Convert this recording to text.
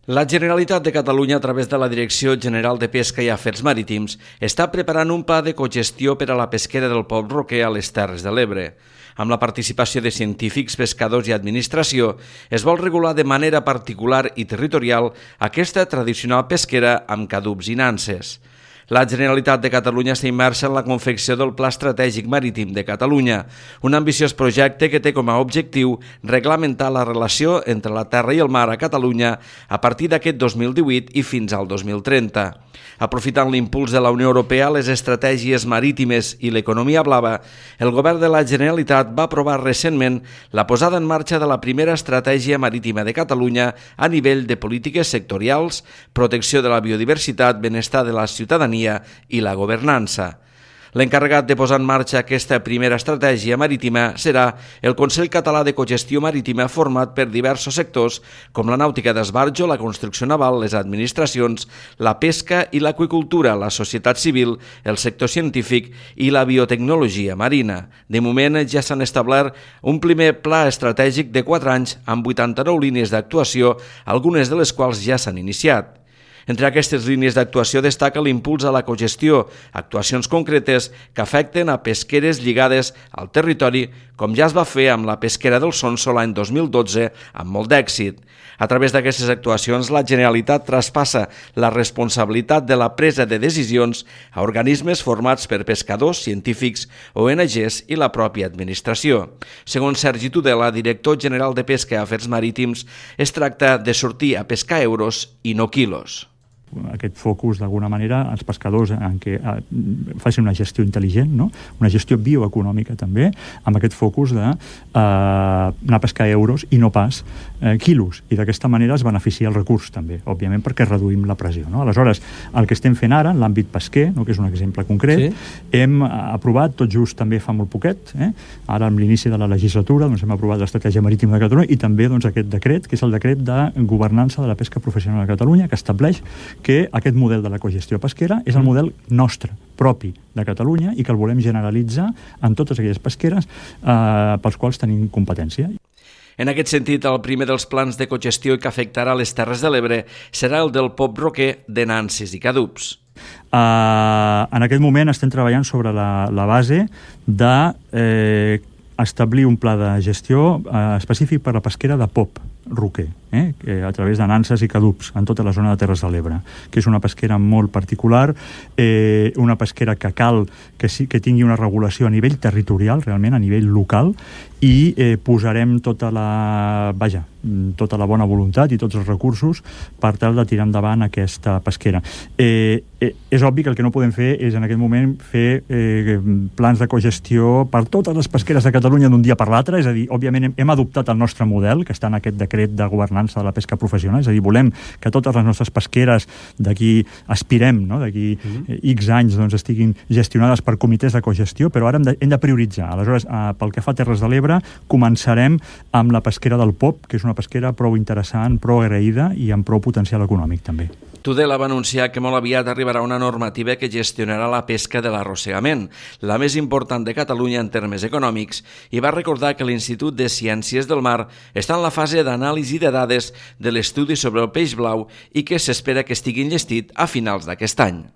La Generalitat de Catalunya, a través de la Direcció General de Pesca i Afers Marítims, està preparant un pla de cogestió per a la pesquera del Pop-roquer a les Terres de l'Ebre. Amb la participació de científics, pescadors i administració, es vol regular de manera particular i territorial aquesta tradicional pesquera amb cadups i nanses. La Generalitat de Catalunya està immersa en la confecció del Pla Estratègic Marítim de Catalunya, un ambiciós projecte que té com a objectiu reglamentar la relació entre la terra i el mar a Catalunya a partir d'aquest 2018 i fins al 2030. Aprofitant l'impuls de la Unió Europea, les estratègies marítimes i l'economia blava, el Govern de la Generalitat va aprovar recentment la posada en marxa de la primera estratègia marítima de Catalunya a nivell de polítiques sectorials, protecció de la biodiversitat, benestar de la ciutadania i la governança. L'encarregat de posar en marxa aquesta primera estratègia marítima serà el Consell Català de Cogestió Marítima, format per diversos sectors com la nàutica d'esbarjo, la construcció naval, les administracions, la pesca i l'aqüicultura, la societat civil, el sector científic i la biotecnologia marina. De moment ja s'han establert un primer pla estratègic de 4 anys amb 89 línies d'actuació, algunes de les quals ja s'han iniciat. Entre aquestes línies d'actuació destaca l'impuls a la cogestió, actuacions concretes que afecten a pesqueres lligades al territori, com ja es va fer amb la pesquera del Sonso l'any 2012 amb molt d'èxit. A través d'aquestes actuacions, la Generalitat traspassa la responsabilitat de la presa de decisions a organismes formats per pescadors, científics, ONGs i la pròpia administració. Segons Sergi Tudela, director general de Pesca i Afers Marítims, es tracta de sortir a pescar euros i no quilos. Aquest focus, d'alguna manera, als pescadors en què facin una gestió intel·ligent, no? Una gestió bioeconòmica també, amb aquest focus d'anar a pescar euros i no pas quilos, i d'aquesta manera es beneficia el recurs també, òbviament perquè reduïm la pressió, no? Aleshores, el que estem fent ara en l'àmbit pesquer, no? Que és un exemple concret, hem aprovat tot just també fa molt poquet, ara amb l'inici de la legislatura hem aprovat l'Estratègia Marítima de Catalunya i també aquest decret, que és el decret de governança de la pesca professional a Catalunya, que estableix que aquest model de la cogestió pesquera és el model nostre, propi de Catalunya, i que el volem generalitzar en totes aquelles pesqueres pels quals tenim competència. En aquest sentit, el primer dels plans de cogestió que afectarà les Terres de l'Ebre serà el del Pop-roquer de nanses i cadups. En aquest moment estem treballant sobre la base de establir un pla de gestió específic per a la pesquera de pop-roquer, a través de nanses i cadups en tota la zona de Terres de l'Ebre, que és una pesquera molt particular, una pesquera que cal que tingui una regulació a nivell territorial, realment a nivell local, i posarem tota la bona voluntat i tots els recursos per tal de tirar endavant aquesta pesquera. És obvi que el que no podem fer és en aquest moment fer plans de cogestió per totes les pesqueres de Catalunya d'un dia per l'altre, és a dir, òbviament hem adoptat el nostre model, que està en aquest decret de governança de la pesca professional, és a dir, volem que totes les nostres pesqueres d'aquí aspirem, no? D'aquí X anys estiguin gestionades per comitès de cogestió, però ara hem de prioritzar. Aleshores, pel que fa a Terres de l'Ebre, començarem amb la pesquera del pop, que és una pesquera prou interessant, prou agraïda i amb prou potencial econòmic també. Tudela va anunciar que molt aviat arribarà una normativa que gestionarà la pesca de l'arrossegament, la més important de Catalunya en termes econòmics, i va recordar que l'Institut de Ciències del Mar està en la fase d'anàlisi de dades de l'estudi sobre el peix blau i que s'espera que estigui enllestit a finals d'aquest any.